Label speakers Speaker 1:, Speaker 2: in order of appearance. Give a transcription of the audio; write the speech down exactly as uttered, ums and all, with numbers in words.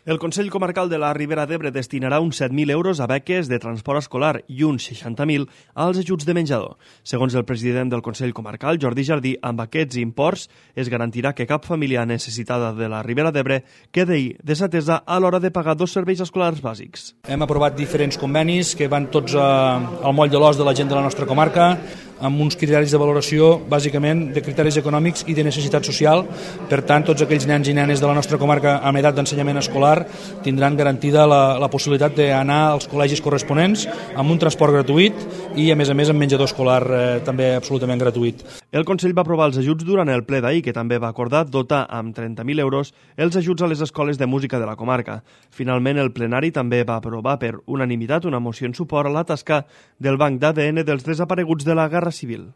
Speaker 1: El Consell Comarcal de la Ribera d'Ebre destinarà uns set mil euros a beques de transport escolar i uns seixanta mil als ajuts de menjador. Segons el president del Consell Comarcal, Jordi Jardí, amb aquests imports es garantirà que cap família necessitada de la Ribera d'Ebre quedi desatesa a l'hora de pagar dos serveis escolars bàsics.
Speaker 2: Hem aprovat diferents convenis que van tots al moll de l'os de la gent de la nostra comarca, amb uns criteris de valoració, bàsicament, de criteris econòmics i de necessitat social. Per tant, tots aquells nens i nenes de la nostra comarca amb edat d'ensenyament escolar tindran garantida la, la possibilitat d'anar als col·legis corresponents amb un transport gratuït i, a més a més, amb menjador escolar eh, també absolutament gratuït.
Speaker 1: El Consell va aprovar els ajuts durant el ple d'ahir, que també va acordar dotar amb trenta mil euros els ajuts a les escoles de música de la comarca. Finalment, el plenari també va aprovar per unanimitat una moció en suport a la tasca del Banc d'A D N dels desapareguts de la Guerra Civil.